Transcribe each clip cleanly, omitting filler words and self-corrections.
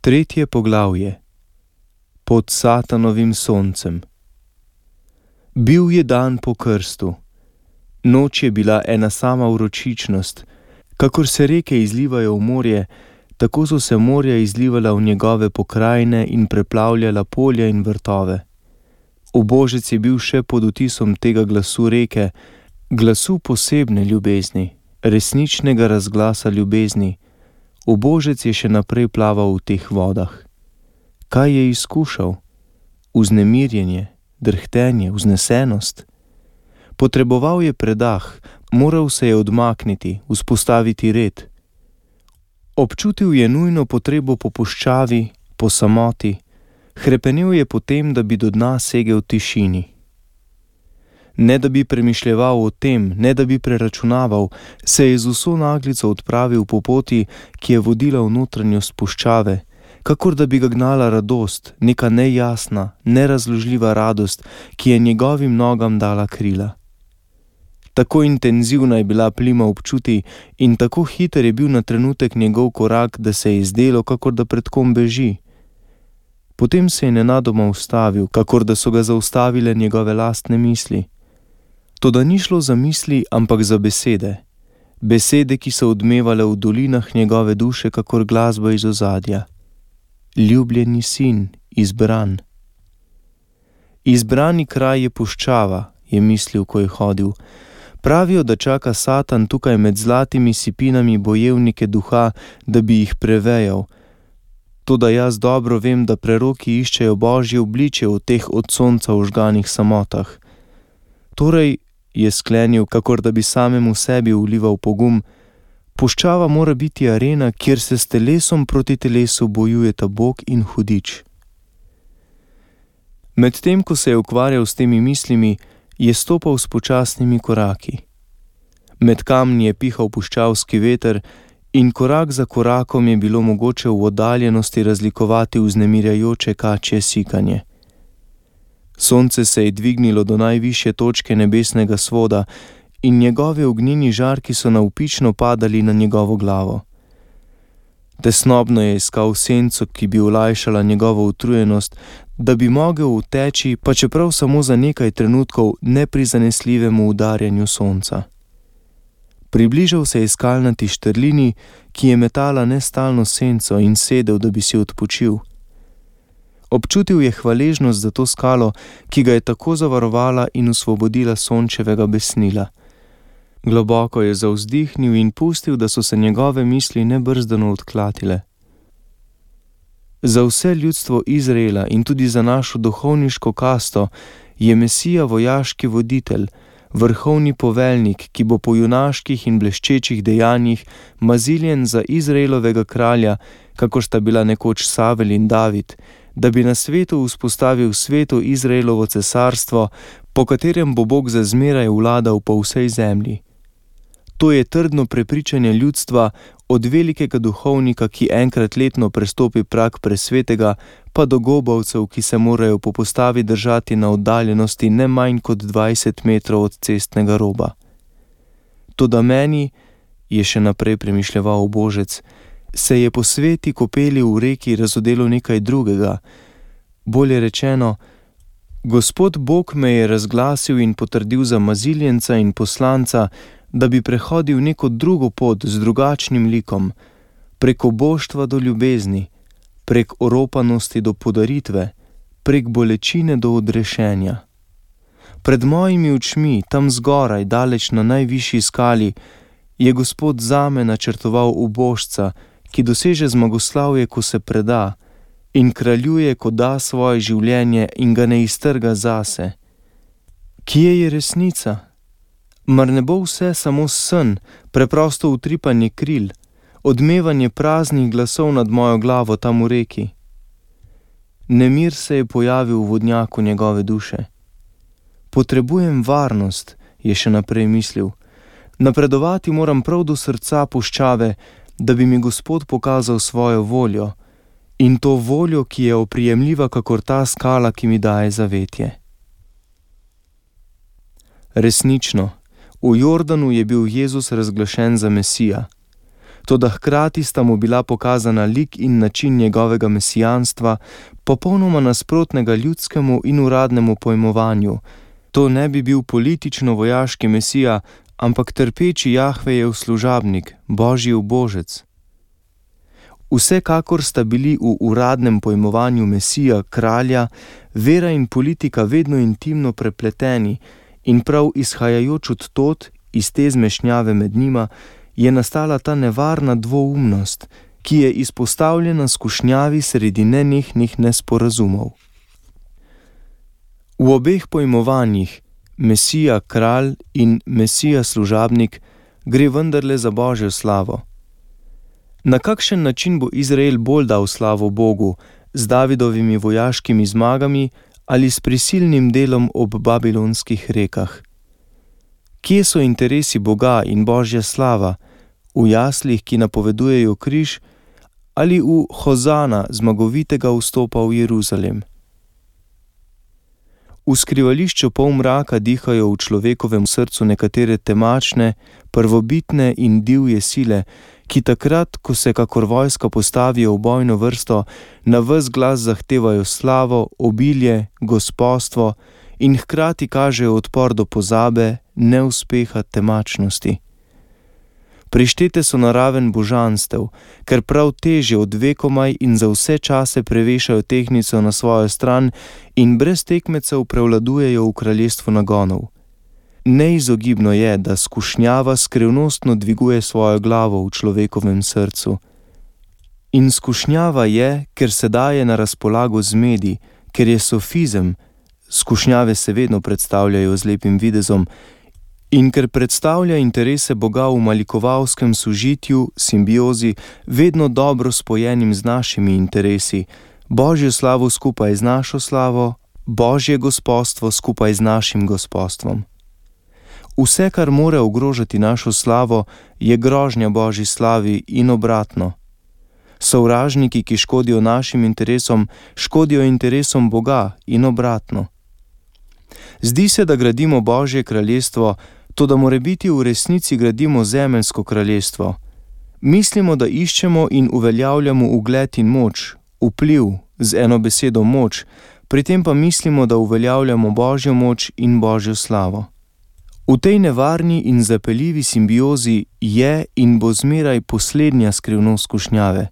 Tretje poglavje. Pod Satanovim soncem. Bil je dan po krstu. Noč je bila ena sama vročičnost. Kakor se reke izlivajo v morje, tako so se morja izlivala v njegove pokrajine in preplavljala polja in vrtove. Ubožec je bil še pod vtisom tega glasu reke, glasu posebne ljubezni, resničnega razglasa ljubezni. Ubožec je še naprej plaval v teh vodah. Kaj je izkušal? Vznemirjenje, drhtenje, vznesenost? Potreboval je predah, moral se je odmakniti, vzpostaviti red. Občutil je nujno potrebo po puščavi, po samoti, hrepenel je po tem, da bi do dna segel v tišini. Ne da bi premišljeval o tem, ne da bi preračunaval, se je z vso naglico odpravil po poti, ki je vodila v notranjost puščave, kakor da bi ga gnala radost, neka nejasna, nerazložljiva radost, ki je njegovim nogam dala krila. Tako intenzivna je bila plima občuti in tako hiter je bil na trenutek njegov korak, da se je zdelo, kakor da pred kom beži. Potem se je nenadoma ustavil, kakor da so ga zaustavile njegove lastne misli. Toda ni šlo za misli, ampak za besede. Besede, ki so odmevale v dolinah njegove duše, kakor glasba iz ozadja. Ljubljeni sin, izbran. Izbrani kraj je puščava, je mislil, ko je hodil. Pravijo, da čaka Satan tukaj med zlatimi sipinami bojevnike duha, da bi jih prevejal. Toda jaz dobro vem, da preroki iščejo Božje obličje v teh od sonca ožganih samotah. Torej, je sklenil, kakor da bi samemu sebi vlival pogum, puščava mora biti arena, kjer se s telesom proti telesu bojujeta Bog in hudič. Medtem, ko se je ukvarjal s temi mislimi, je stopal s počasnimi koraki. Med kamni je pihal puščavski veter in korak za korakom je bilo mogoče v oddaljenosti razlikovati vznemirjajoče kačje sikanje. Sonce se je dvignilo do najvišje točke nebesnega svoda in njegovi ognjeni žarki so navpično padali na njegovo glavo. Tesnobno je iskal senco, ki bi olajšala njegovo utrujenost, da bi mogel uteči, pa čeprav samo za nekaj trenutkov, neprizanesljivemu udarjanju sonca. Približal se je skalnati štrlini, ki je metala nestalno senco, in sedel, da bi si odpočil. Občutil je hvaležnost za to skalo, ki ga je tako zavarovala in osvobodila sončevega besnila. Globoko je zavzdihnil in pustil, da so se njegove misli nebrzdano odklatile. Za vse ljudstvo Izraela in tudi za našo duhovniško kasto je Mesija vojaški voditelj, vrhovni poveljnik, ki bo po junaških in bleščečih dejanjih maziljen za Izraelovega kralja, kakor sta bila nekoč Savel in David, da bi na svetu vzpostavil sveto Izraelovo cesarstvo, po katerem bo Bog za zmeraj vladal po vsej zemlji. To je trdno prepričanje ljudstva, od velikega duhovnika, ki enkrat letno prestopi prag presvetega, pa do gobavcev, ki se morajo po postavi držati na oddaljenosti ne manj kot 20 metrov od cestnega roba. Toda meni, je še naprej premišljeval Ubožec, se je po sveti kopeli v reki razodelo nekaj drugega. Bolje rečeno, Gospod Bog me je razglasil in potrdil za maziljenca in poslanca, da bi prehodil neko drugo pot z drugačnim likom, prek oboštva do ljubezni, prek oropanosti do podaritve, prek bolečine do odrešenja. Pred mojimi očmi, tam zgoraj, daleč na najvišji skali, je Gospod zame načrtoval ubožca, ki doseže zmagoslavje, ko se preda, in kraljuje, ko da svoje življenje in ga ne iztrga zase. Kje je resnica? Mar ne bo vse samo sen, preprosto utripanje kril, odmevanje praznih glasov nad mojo glavo tam v reki? Nemir se je pojavil v vodnjaku njegove duše. Potrebujem varnost, je še naprej mislil. Napredovati moram prav do srca puščave, da bi mi Gospod pokazal svojo voljo, in to voljo, ki je oprijemljiva kakor ta skala, ki mi daje zavetje. Resnično, v Jordanu je bil Jezus razglašen za Mesija. toda hkrati sta mu bila pokazana lik in način njegovega mesijanstva, popolnoma nasprotnega ljudskemu in uradnemu pojmovanju. To ne bi bil politično-vojaški mesija, ampak trpeči Jahvejev služabnik, Božji ubožec. Vsekakor sta bili v uradnem pojmovanju mesija, kralja, vera in politika vedno intimno prepleteni in prav izhajajoč od tod, iz te zmešnjave med njima, je nastala ta nevarna dvoumnost, ki je izpostavljena skušnjavi sredi nenehnih nesporazumov. V obeh pojmovanjih, mesija kralj in mesija služabnik, gre vendarle za Božjo slavo. Na kakšen način bo Izrael bolj dal slavo Bogu, z Davidovimi vojaškimi zmagami ali s prisilnim delom ob babilonskih rekah? Kje so interesi Boga in Božja slava? V jaslih, ki napovedujejo križ, ali v hozana zmagovitega vstopa v Jeruzalem? V skrivališču polmraka dihajo v človekovem srcu nekatere temačne, prvobitne in divje sile, ki takrat, ko se kakor vojska postavijo v bojno vrsto, na ves glas zahtevajo slavo, obilje, gospostvo in hkrati kažejo odpor do pozabe, neuspeha, temačnosti. Prištete so na raven božanstev, ker prav teže od vekomaj in za vse čase prevešajo tehtnico na svojo stran in brez tekmecev prevladujejo v kraljestvu nagonov. Neizogibno je, da skušnjava skrivnostno dviguje svojo glavo v človekovem srcu. In skušnjava je, ker se daje na razpolago zmedi, ker je sofizem, skušnjave se vedno predstavljajo z lepim videzom, in ker predstavlja interese Boga v malikovalskem sožitju, simbiozi, vedno dobro spojenim z našimi interesi, Božjo slavo skupaj z našo slavo, Božje gospostvo skupaj z našim gospostvom. Vse, kar more ogrožati našo slavo, je grožnja Božji slavi in obratno. Sovražniki, ki škodijo našim interesom, škodijo interesom Boga in obratno. Zdi se, da gradimo Božje kraljestvo, to da morebiti v resnici gradimo zemeljsko kraljestvo. Mislimo, da iščemo in uveljavljamo ugled in moč, vpliv, z eno besedo moč, pri tem pa mislimo, da uveljavljamo Božjo moč in Božjo slavo. V tej nevarni in zapeljivi simbiozi je in bo zmeraj poslednja skrivnost skušnjave.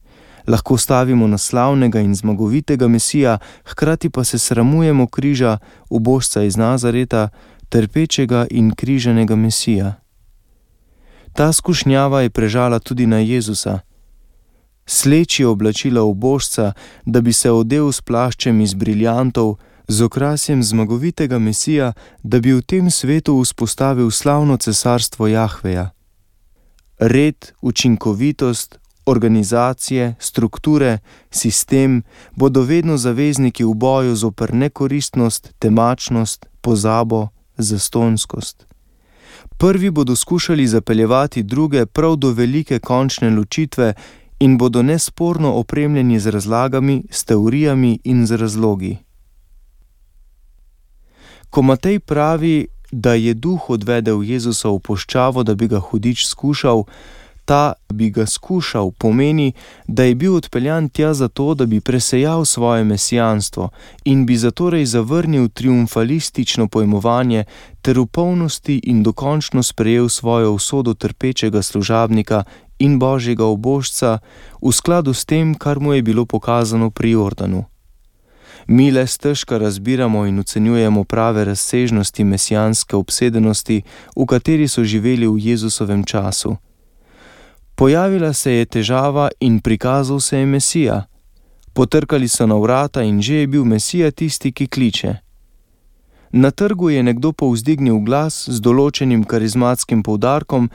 Lahko stavimo na slavnega in zmagovitega mesija, hkrati pa se sramujemo križa, ubožca iz Nazareta, trpečega in križanega mesija. Ta skušnjava je prežala tudi na Jezusa. Sleči oblačila ubožca, da bi se odel s plaščem iz briljantov, z okrasjem zmagovitega mesija, da bi v tem svetu vzpostavil slavno cesarstvo Jahveja. Red, učinkovitost, organizacije, strukture, sistem bodo vedno zavezniki v boju zoper nekoristnost, temačnost, pozabo, zastonjskost. Prvi bodo skušali zapeljevati druge prav do velike končne ločitve in bodo nesporno opremljeni z razlagami, s teorijami in z razlogi. Ko Matej pravi, da je duh odvedel Jezusa v puščavo, da bi ga hudič skušal, ta bi ga skušal pomeni, da je bil odpeljan tja zato, da bi presejal svoje mesijanstvo in bi zatorej zavrnil triumfalistično pojmovanje ter v polnosti in dokončno sprejel svojo usodo trpečega služabnika in Božjega ubožca v skladu s tem, kar mu je bilo pokazano pri Jordanu. Mi le stežka razbiramo in ocenjujemo prave razsežnosti mesijanske obsedenosti, v kateri so živeli v Jezusovem času. Pojavila se je težava in prikazal se je Mesija. Potrkali so na vrata in že je bil Mesija tisti, ki kliče. Na trgu je nekdo povzdignil glas z določenim karizmatskim poudarkom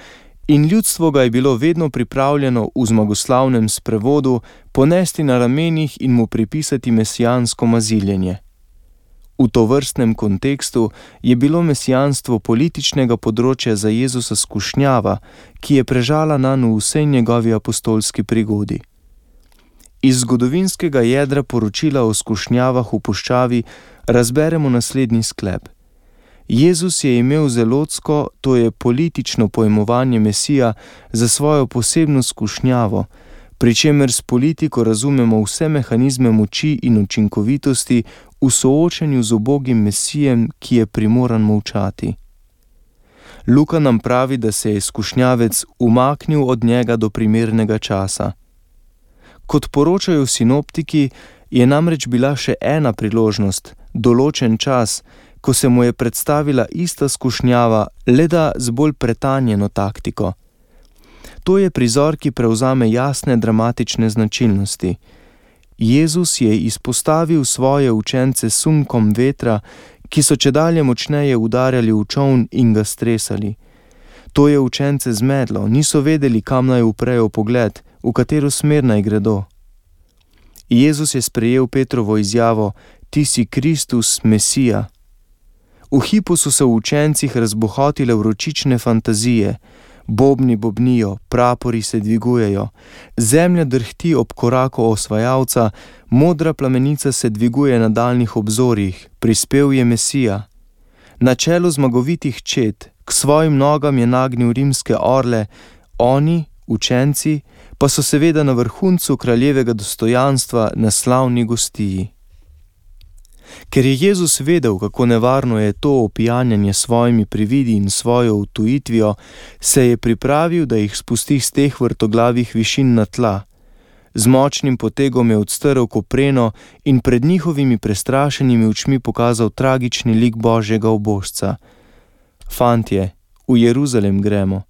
in ljudstvo ga je bilo vedno pripravljeno v zmagoslavnem sprevodu ponesti na ramenih in mu pripisati mesijansko maziljenje. V tovrstnem kontekstu je bilo mesijanstvo političnega področja za Jezusa skušnjava, ki je prežala nanj v vsej njegovi apostolski prigodi. Iz zgodovinskega jedra poročila o skušnjavah v puščavi razberemo naslednji sklep. Jezus je imel zelotsko, to je politično pojmovanje Mesija, za svojo posebno skušnjavo, pri čemer s politiko razumemo vse mehanizme moči in učinkovitosti v soočenju z ubogim Mesijem, ki je primoran molčati. Luka nam pravi, da se je skušnjavec umaknil od njega do primernega časa. Kot poročajo sinoptiki, je namreč bila še ena priložnost, določen čas, ko se mu je predstavila ista skušnjava, le da z bolj pretanjeno taktiko. To je prizor, ki prevzame jasne dramatične značilnosti. Jezus je izpostavil svoje učence sunkom vetra, ki so čedalje močneje udarjali v čoln in ga stresali. To je učence zmedlo, niso vedeli, kam naj uprejo pogled, v katero smer naj gredo. Jezus je sprejel Petrovo izjavo: "Ti si Kristus, Mesija." V hipu so se v učencih razbohotile vročične fantazije, bobni bobnijo, prapori se dvigujejo, zemlja drhti ob koraku osvajalca, modra plamenica se dviguje na daljnih obzorjih, prispel je Mesija. Na čelu zmagovitih čet, k svojim nogam je nagnil rimske orle, oni, učenci, pa so seveda na vrhuncu kraljevega dostojanstva na slavni gostiji. Ker je Jezus vedel, kako nevarno je to opijanjanje s svojimi prividi in svojo utujitvijo, se je pripravil, da jih spusti z teh vrtoglavih višin na tla. Z močnim potegom je odstrl kopreno in pred njihovimi prestrašenimi očmi pokazal tragični lik Božjega ubožca. Fantje, v Jeruzalem gremo,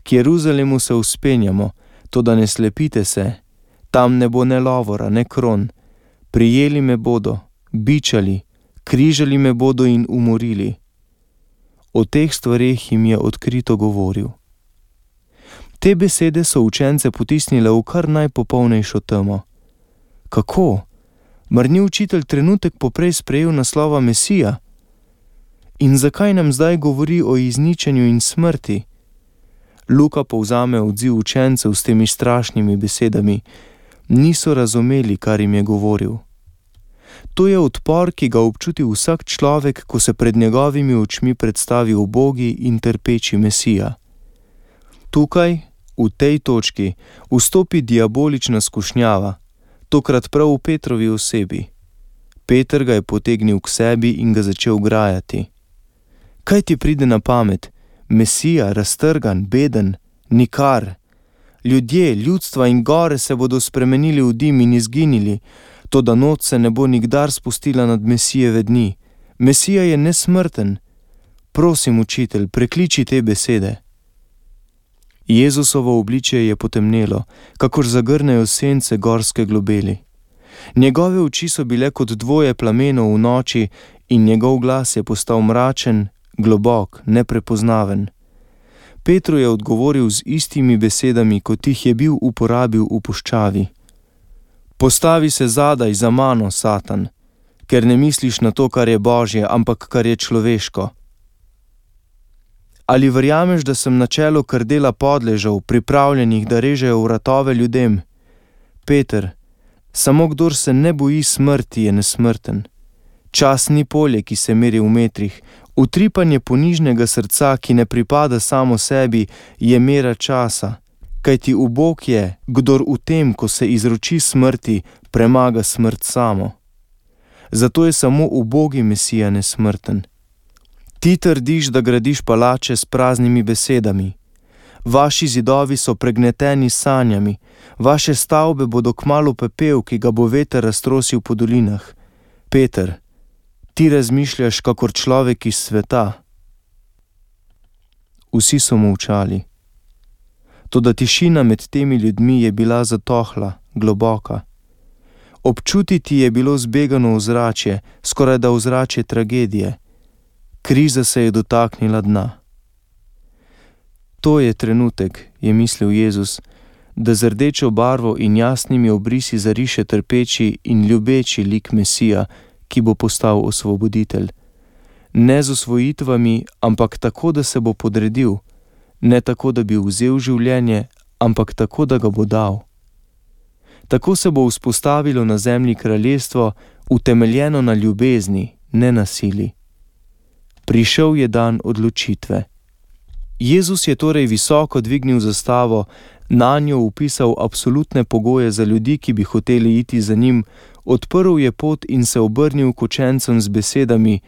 k Jeruzalemu se vzpenjamo, toda ne slepite se, tam ne bo ne lovora, ne kron, prijeli me bodo, bičali, križali me bodo in umorili. O teh stvareh jim je odkrito govoril. Te besede so učence potisnile v kar najpopolnejšo temo. Kako? Mar ni učitelj trenutek poprej sprejel naslova Mesija? In zakaj nam zdaj govori o izničenju in smrti? Luka povzame odziv učencev s temi strašnimi besedami. Niso razumeli, kar jim je govoril. To je odpor, ki ga občuti vsak človek, ko se pred njegovimi očmi predstavi ubogi in trpeči Mesija. Tukaj, v tej točki, vstopi diabolična skušnjava, tokrat prav v Petrovi osebi. Peter ga je potegnil k sebi in ga začel grajati. Kaj ti pride na pamet? Mesija, raztrgan, beden, nikar. Ljudje, ljudstva in gore se bodo spremenili v dim in izginili, toda noč se ne bo nikdar spustila nad Mesijeve dni. Mesija je nesmrten. Prosim, učitelj, prekliči te besede. Jezusovo obličje je potemnelo, kakor zagrnejo sence gorske globeli. Njegove oči so bile kot dvoje plamenov v noči in njegov glas je postal mračen, globok, neprepoznaven. Petru je odgovoril z istimi besedami, kot jih je bil uporabil v puščavi. Postavi se zadaj za mano, Satan, ker ne misliš na to, kar je Božje, ampak kar je človeško. Ali verjameš, da sem na čelu krdela podležev, pripravljenih, da režejo vratove ljudem? Peter, samo kdor se ne boji smrti, je nesmrten. Čas ni polje, ki se meri v metrih. Utripanje ponižnega srca, ki ne pripada samo sebi, je mera časa. Kajti ubog je, kdor v tem, ko se izroči smrti, premaga smrt samo. Zato je samo ubogi Mesija nesmrten. Ti trdiš, da gradiš palače s praznimi besedami. Vaši zidovi so pregneteni s sanjami, vaše stavbe bodo kmalu pepel, ki ga bo veter raztrosil po dolinah. Peter, ti razmišljaš kakor človek iz sveta. Vsi so molčali. Toda tišina med temi ljudmi je bila zatohla, globoka. Občutiti je bilo zbegano ozračje, skoraj da ozračje tragedije. Kriza se je dotaknila dna. To je trenutek, je mislil Jezus, da z rdečo barvo in jasnimi obrisi zariše trpeči in ljubeči lik Mesija, ki bo postal osvoboditelj. Ne z osvojitvami, ampak tako, da se bo podredil, ne tako, da bi vzel življenje, ampak tako, da ga bo dal. Tako se bo vzpostavilo na zemlji kraljestvo, utemeljeno na ljubezni, ne na sili. Prišel je dan odločitve. Jezus je torej visoko dvignil zastavo, nanjo vpisal absolutne pogoje za ljudi, ki bi hoteli iti za njim, odprl je pot in se obrnil k učencem z besedami: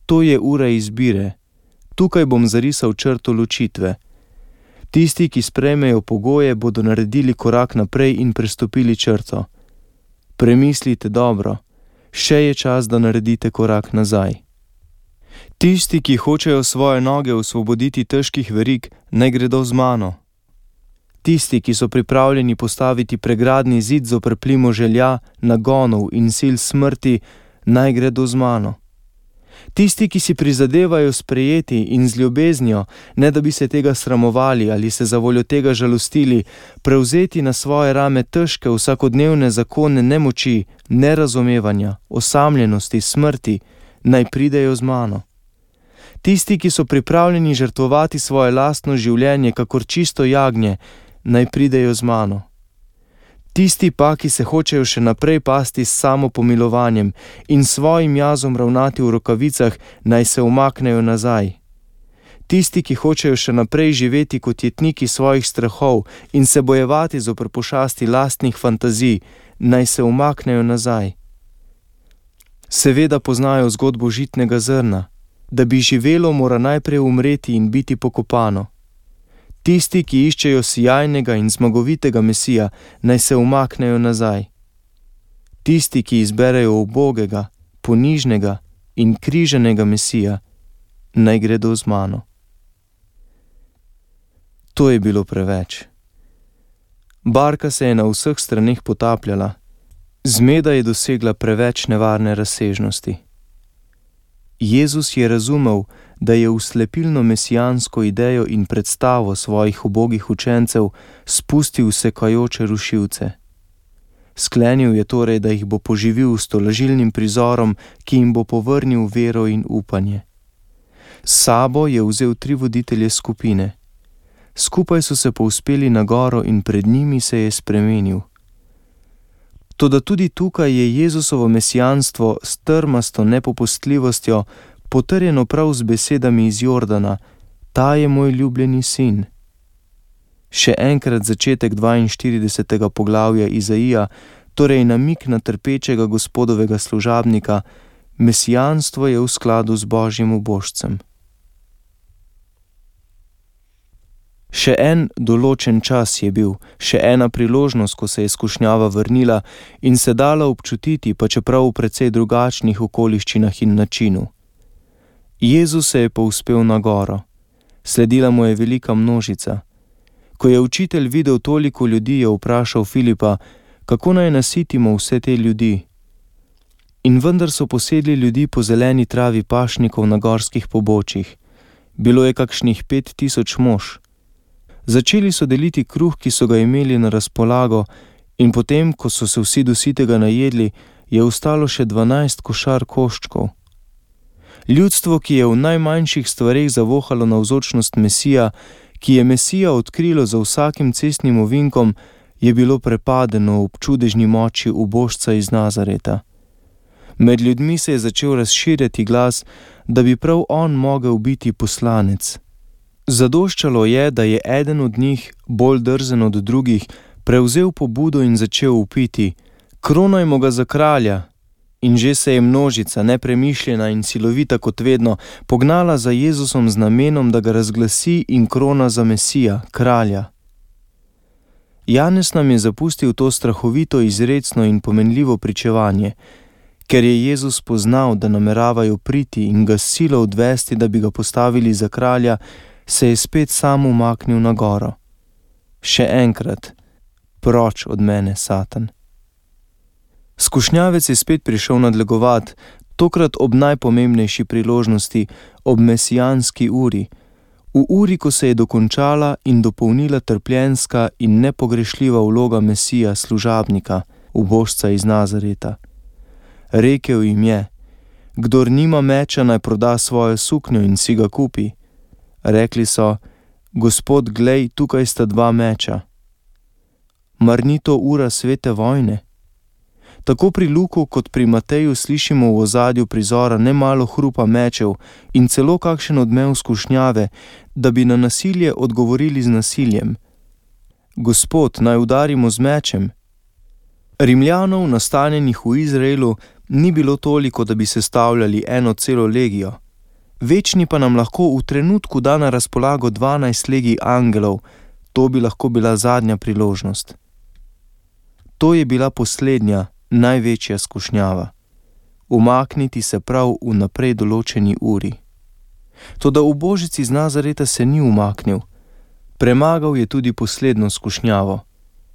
to je ura izbire. Tukaj bom zarisal črto ločitve. Tisti, ki sprejmejo pogoje, bodo naredili korak naprej in prestopili črto. Premislite dobro, še je čas, da naredite korak nazaj. Tisti, ki hočejo svoje noge osvoboditi težkih verig, naj gredo z mano. Tisti, ki so pripravljeni postaviti pregradni zid zoper plimo želja, nagonov in sil smrti, naj gredo z mano. Tisti, ki si prizadevajo sprejeti in z ljubeznijo, ne da bi se tega sramovali ali se zavoljo tega žalostili, prevzeti na svoje rame težke vsakodnevne zakone nemoči, nerazumevanja, osamljenosti, smrti, naj pridejo z mano. Tisti, ki so pripravljeni žrtvovati svoje lastno življenje kakor čisto jagnje, naj pridejo z mano. Tisti pa, ki se hočejo še naprej pasti s samopomilovanjem in svojim jazom ravnati v rokavicah, naj se umaknejo nazaj. Tisti, ki hočejo še naprej živeti kot jetniki svojih strahov in se bojevati zoper pošasti lastnih fantazij, naj se umaknejo nazaj. Seveda poznajo zgodbo žitnega zrna. Da bi živelo, mora najprej umreti in biti pokopano. Tisti, ki iščejo sijajnega in zmagovitega Mesija, naj se umaknejo nazaj. Tisti, ki izberejo ubogega, ponižnega in križanega Mesija, naj gredo z mano. To je bilo preveč. Barka se je na vseh straneh potapljala. Zmeda je dosegla preveč nevarne razsežnosti. Jezus je razumel, da je v slepilno mesijansko idejo in predstavo svojih ubogih učencev spustil sekajoče rušilce. Sklenil je torej, da jih bo poživil s tolažilnim prizorom, ki jim bo povrnil vero in upanje. S sabo je vzel 3 voditelje skupine. Skupaj so se povzpeli na goro in pred njimi se je spremenil. Toda tudi tukaj je Jezusovo mesijanstvo s trmasto nepopustljivostjo potrjeno prav z besedami iz Jordana: ta je moj ljubljeni sin. Še enkrat začetek 42. poglavja Izaija, torej namig na trpečega Gospodovega služabnika, mesijanstvo je v skladu z Božjim ubožcem. Še en določen čas je bil, še ena priložnost, ko se je skušnjava vrnila in se dala občutiti, pa čeprav v precej drugačnih okoliščinah in načinu. Jezus se je povzpel na goro. Sledila mu je velika množica. Ko je učitelj videl toliko ljudi, je vprašal Filipa, kako naj nasitimo vse te ljudi. In vendar so posedli ljudi po zeleni travi pašnikov na gorskih pobočjih. Bilo je kakšnih 5000 mož. Začeli so deliti kruh, ki so ga imeli na razpolago, in potem, ko so se vsi do sitega najedli, je ostalo še 12 košar koščkov. Ljudstvo, ki je v najmanjših stvareh zavohalo navzočnost Mesija, ki je Mesija odkrilo za vsakim cestnim ovinkom, je bilo prepadeno ob čudežni moči ubožca iz Nazareta. Med ljudmi se je začel razširjati glas, da bi prav on mogel biti poslanec. Zadoščalo je, da je eden od njih, bolj drzen od drugih, prevzel pobudo in začel vpiti: kronajmo ga za kralja! In že se je množica, nepremišljena in silovita kot vedno, pognala za Jezusom z namenom, da ga razglasi in krona za Mesija, kralja. Janez nam je zapustil to strahovito, izrecno in pomenljivo pričevanje. Ker je Jezus poznal, da nameravajo priti in ga s silo odvesti, da bi ga postavili za kralja, se je spet sam umaknil na goro. Še enkrat: proč od mene, Satan. Skušnjavec je spet prišel nadlegovat, tokrat ob najpomembnejši priložnosti, ob mesijanski uri, v uri, ko se je dokončala in dopolnila trpljenska in nepogrešljiva vloga Mesija, služabnika, ubožca iz Nazareta. Rekel jim je: kdor nima meča, naj proda svojo suknjo in si ga kupi. Rekli so: Gospod, glej, tukaj sta 2 meča. Mar ni to ura svete vojne? Tako pri Luku kot pri Mateju slišimo v ozadju prizora nemalo hrupa mečev in celo kakšen odmev skušnjave, da bi na nasilje odgovorili z nasiljem. Gospod, naj udarimo z mečem. Rimljanov, nastanjenih v Izraelu, ni bilo toliko, da bi sestavljali eno celo legijo. Večni pa nam lahko v trenutku da na razpolago 12 legij angelov, to bi lahko bila zadnja priložnost. To je bila poslednja, največja skušnjava. Umakniti se prav v naprej določeni uri. Toda ubožec iz Nazareta se ni umaknil. Premagal je tudi poslednjo skušnjavo.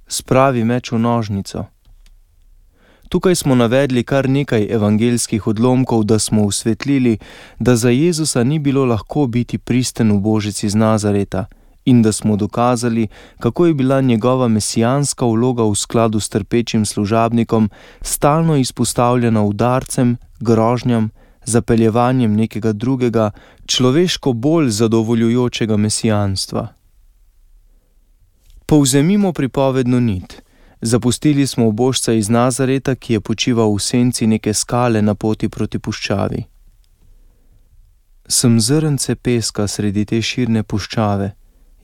Spravi meč v nožnico. Tukaj smo navedli kar nekaj evangeljskih odlomkov, da smo osvetlili, da za Jezusa ni bilo lahko biti pristen ubožec iz Nazareta in da smo dokazali, kako je bila njegova mesijanska vloga v skladu s trpečim služabnikom stalno izpostavljena udarcem, grožnjam, zapeljevanjem nekega drugega, človeško bolj zadovoljujočega mesijanstva. Povzemimo pripovedno nit. Zapustili smo ubožca iz Nazareta, ki je počival v senci neke skale na poti proti puščavi. Sem zrnce peska sredi te širne puščave,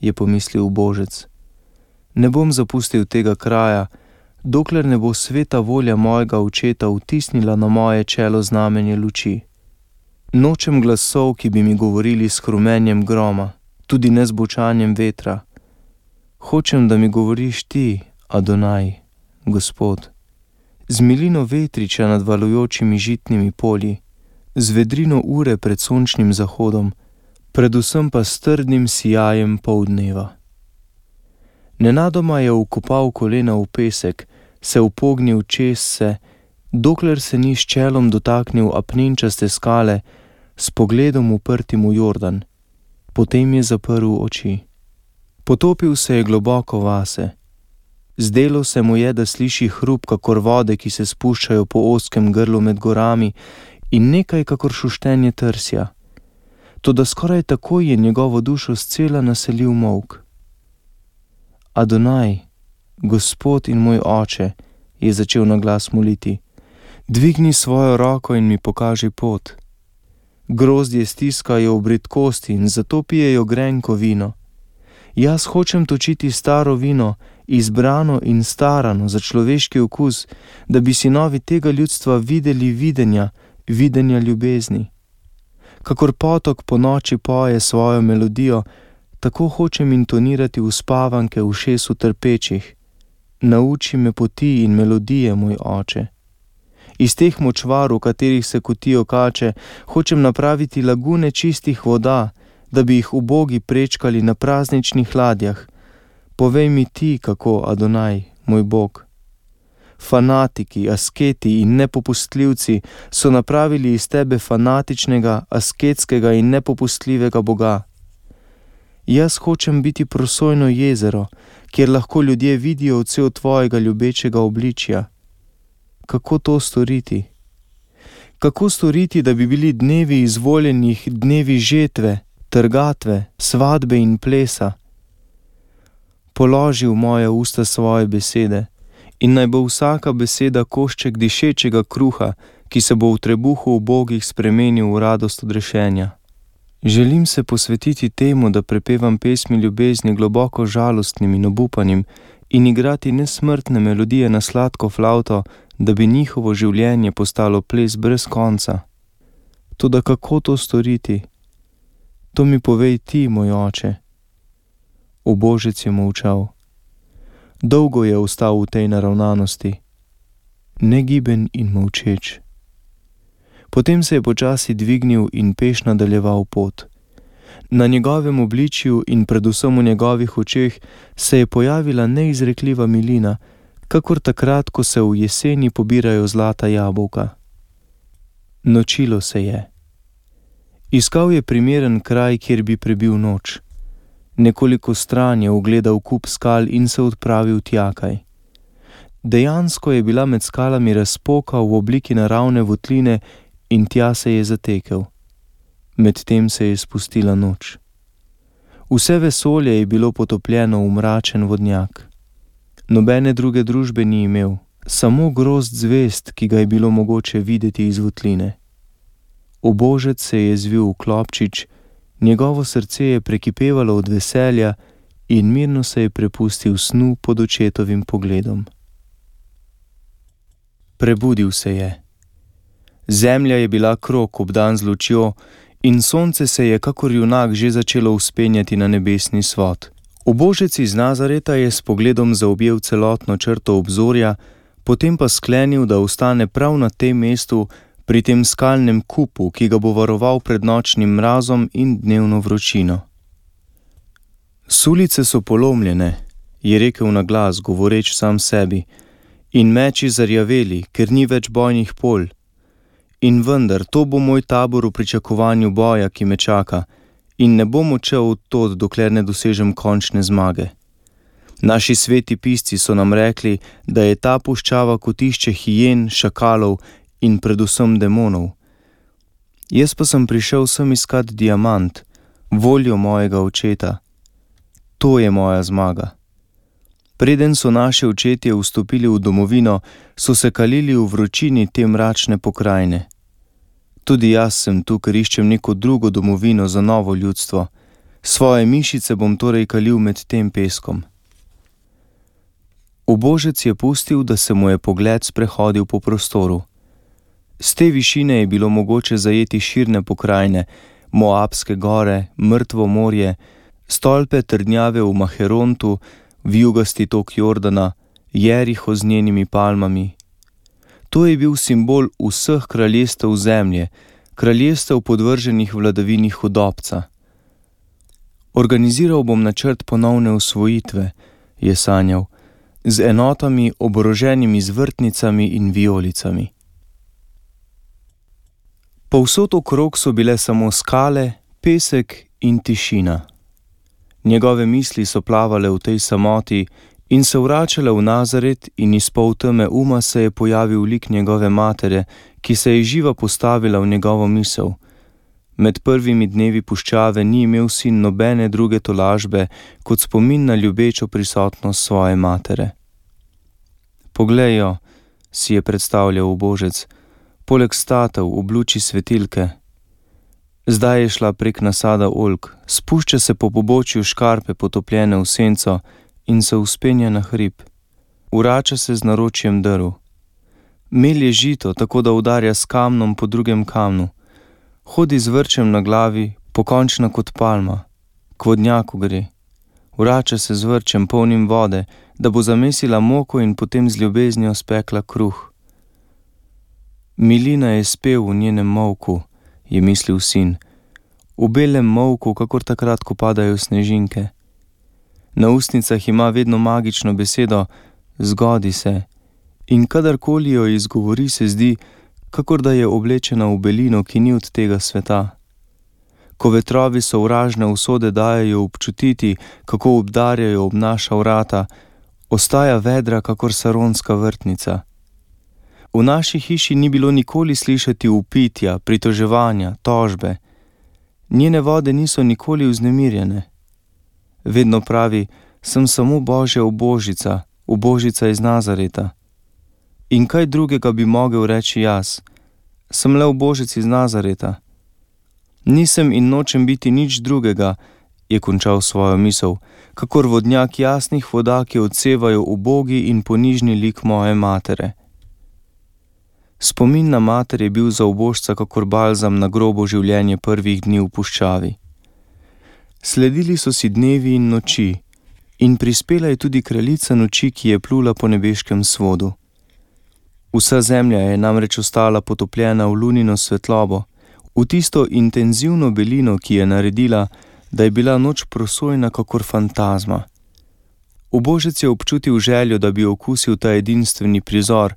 je pomislil ubožec. Ne bom zapustil tega kraja, dokler ne bo sveta volja mojega očeta vtisnila na moje čelo znamenje luči. Nočem glasov, ki bi mi govorili s hrumenjem groma, tudi ne z bočanjem vetra. Hočem, da mi govoriš ti, Adonaj, Gospod, z milino vetriča nad valujočimi žitnimi polji, z vedrino ure pred sončnim zahodom, predvsem pa s trdnim sijajem poldneva. Nenadoma je vkopal kolena v pesek, se upognil čez se, dokler se ni s čelom dotaknil apnenčaste skale, s pogledom uprtim v Jordan. Potem je zaprl oči. Potopil se je globoko vase. Zdelo se mu je, da sliši hrup kakor vode, ki se spuščajo po ozkem grlu med gorami, in nekaj kakor šuštenje trsja. Toda skoraj takoj je njegovo dušo scela naselil molk. Adonaj, Gospod in moj oče, je začel na glas moliti, dvigni svojo roko in mi pokaži pot. Grozdje stiskajo v bridkosti in zato pijejo grenko vino. Jaz hočem točiti staro vino, izbrano in starano za človeški okus, da bi sinovi tega ljudstva videli videnja ljubezni. Kakor potok po noči poje svojo melodijo, tako hočem intonirati uspavanke v ušesu trpečih. Nauči me poti in melodije, moj oče. Iz teh močvar, v katerih se kotijo kače, hočem napraviti lagune čistih voda, da bi jih ubogi prečkali na prazničnih ladjah. Povej mi ti, kako, Adonaj, moj Bog. Fanatiki, asketi in nepopustljivci so napravili iz tebe fanatičnega, asketskega in nepopustljivega Boga. Jaz hočem biti prosojno jezero, kjer lahko ljudje vidijo odsev tvojega ljubečega obličja. Kako to storiti? Kako storiti, da bi bili dnevi izvoljenih dnevi žetve, trgatve, svadbe in plesa? Položi v moje usta svoje besede in naj bo vsaka beseda košček dišečega kruha, ki se bo v trebuhu ubogih spremenil v radost odrešenja. Želim se posvetiti temu, da prepevam pesmi ljubezni globoko žalostnim in obupanim in igrati nesmrtne melodije na sladko flavto, da bi njihovo življenje postalo ples brez konca. Toda kako to storiti? To mi povej ti, moj oče. Ubožec je molčal. Dolgo je ostal v tej naravnanosti, negiben in molčeč. Potem se je počasi dvignil in peš nadaljeval pot. Na njegovem obličju in predvsem v njegovih očeh se je pojavila neizrekljiva milina, kakor takrat, ko se v jeseni pobirajo zlata jabolka. Nočilo se je. Iskal je primeren kraj, kjer bi prebil noč. Nekoliko stran je ugledal kup skal in se odpravil tjakaj. Dejansko je bila med skalami razpoka v obliki naravne votline in tja se je zatekel. Medtem se je spustila noč. Vse vesolje je bilo potopljeno v mračen vodnjak. Nobene druge družbe ni imel, samo grozd zvezd, ki ga je bilo mogoče videti iz votline. Ubožec se je zvil v klobčič, njegovo srce je prekipevalo od veselja in mirno se je prepustil snu pod očetovim pogledom. Prebudil se je. Zemlja je bila krog obdan z lučjo in sonce se je kakor junak že začelo vzpenjati na nebesni svod. Ubožec iz Nazareta je s pogledom zaobjel celotno črto obzorja, potem pa sklenil, da ostane prav na tem mestu, pri tem skalnem kupu, ki ga bo varoval pred nočnim mrazom in dnevno vročino. Sulice so polomljene, je rekel na glas, govoreč sam sebi, in meči zarjaveli, ker ni več bojnih polj. In vendar, to bo moj tabor v pričakovanju boja, ki me čaka, in ne bom odšel od tod, dokler ne dosežem končne zmage. Naši sveti pisci so nam rekli, da je ta puščava kotišče hijen, šakalov in predvsem demonov. Jaz pa sem prišel sem iskat diamant, voljo mojega očeta. To je moja zmaga. Preden so naši očetje vstopili v domovino, so se kalili v vročini te mračne pokrajine. Tudi jaz sem tu, ker iščem neko drugo domovino za novo ljudstvo. Svoje mišice bom torej kalil med tem peskom. Ubožec je pustil, da se mu je pogled sprehodil po prostoru. Z te višine je bilo mogoče zajeti širne pokrajine, Moabske gore, Mrtvo morje, stolpe trdnjave v Maherontu, vijugasti tok Jordana, Jeriho z njenimi palmami. To je bil simbol vseh kraljestev zemlje, kraljestev podvrženih vladavini hudobca. Organiziral bom načrt ponovne osvojitve, je sanjal, z enotami oboroženimi z vrtnicami in vijolicami. Povsod okrog so bile samo skale, pesek in tišina. Njegove misli so plavale v tej samoti in se vračale v Nazaret, in iz polteme uma se je pojavil lik njegove matere, ki se je živa postavila v njegovo misel. Med prvimi dnevi puščave ni imel sin nobene druge tolažbe kot spomin na ljubečo prisotnost svoje matere. Poglej jo, si je predstavljal ubožec, poleg statev v luči svetilke. Zdaj je šla prek nasada oljk, spušča se po pobočju škarpe potopljene v senco in se vzpenja na hrib. Vrača se z naročjem drv. Melje žito, tako da udarja s kamnom po drugem kamnu. Hodi z vrčem na glavi, pokončna kot palma. K vodnjaku gre. Vrača se z vrčem polnim vode, da bo zamesila moko in potem z ljubeznijo spekla kruh. Milina je spev v njenem molku, je mislil sin, v belem molku, kakor takrat, ko padajo snežinke. Na ustnicah ima vedno magično besedo, zgodi se, in kadarkoli jo izgovori, se zdi, kakor da je oblečena v belino, ki ni od tega sveta. Ko vetrovi sovražne usode dajejo občutiti, kako obdarjajo ob naša vrata, ostaja vedra kakor saronska vrtnica. V naši hiši ni bilo nikoli slišati vpitja, pritoževanja, tožbe. Njene vode niso nikoli vznemirjene. Vedno pravi, sem samo Božja ubožica, ubožica iz Nazareta. In kaj drugega bi mogel reči jaz? Sem le ubožec iz Nazareta. Nisem in nočem biti nič drugega, je končal svojo misel, kakor vodnjak jasnih voda, ki odsevajo ubogi in ponižni lik moje matere. Spomin na mater je bil za ubožca kakor balzam na grobo življenje prvih dni v puščavi. Sledili so si dnevi in noči, in prispela je tudi kraljica noči, ki je plula po nebeškem svodu. Vsa zemlja je namreč ostala potopljena v lunino svetlobo, v tisto intenzivno belino, ki je naredila, da je bila noč prosojna kakor fantazma. Ubožec je občutil željo, da bi okusil ta edinstveni prizor,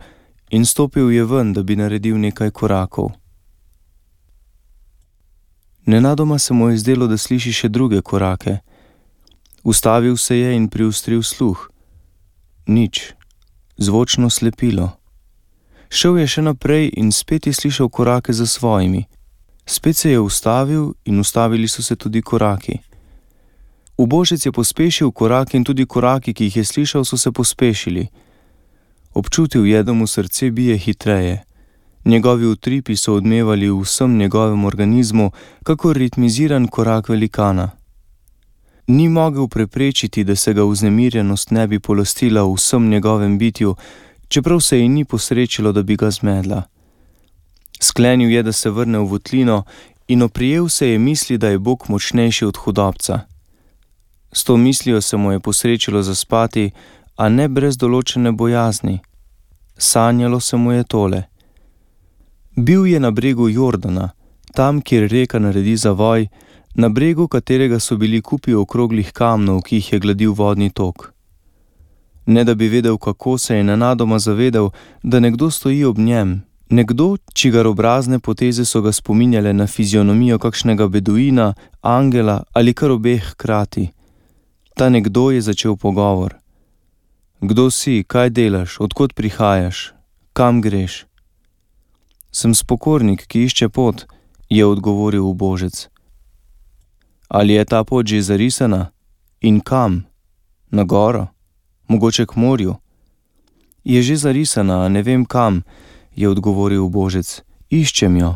in stopil je ven, da bi naredil nekaj korakov. Nenadoma se mu je zdelo, da sliši še druge korake. Ustavil se je in priostril sluh. Nič. Zvočno slepilo. Šel je še naprej in spet je slišal korake za svojimi. Spet se je ustavil in ustavili so se tudi koraki. Ubožec je pospešil korake in tudi koraki, ki jih je slišal, so se pospešili. Občutil je, da mu srce bije hitreje. Njegovi utripi so odmevali v vsem njegovem organizmu, kakor ritmiziran korak velikana. Ni mogel preprečiti, da se ga vznemirjenost ne bi polastila v vsem njegovem bitju, čeprav se ji ni posrečilo, da bi ga zmedla. Sklenil je, da se vrne v votlino in oprijel se je misli, da je Bog močnejši od hudobca. S to mislijo se mu je posrečilo zaspati, a ne brez določene bojazni. Sanjalo se mu je tole. Bil je na bregu Jordana, tam, kjer reka naredi zavoj, na bregu katerega so bili kupi okroglih kamnov, ki jih je gladil vodni tok. Ne da bi vedel, kako, se je nenadoma zavedel, da nekdo stoji ob njem, nekdo, čigar obrazne poteze so ga spominjale na fizionomijo kakšnega beduina, angela ali kar obeh hkrati. Ta nekdo je začel pogovor. Kdo si, kaj delaš, od kod prihajaš, kam greš? Sem spokornik, ki išče pot, je odgovoril ubožec. Ali je ta pot že zarisana? In kam? Na goro? Mogoče k morju? Je že zarisana, a ne vem kam, je odgovoril ubožec. Iščem jo.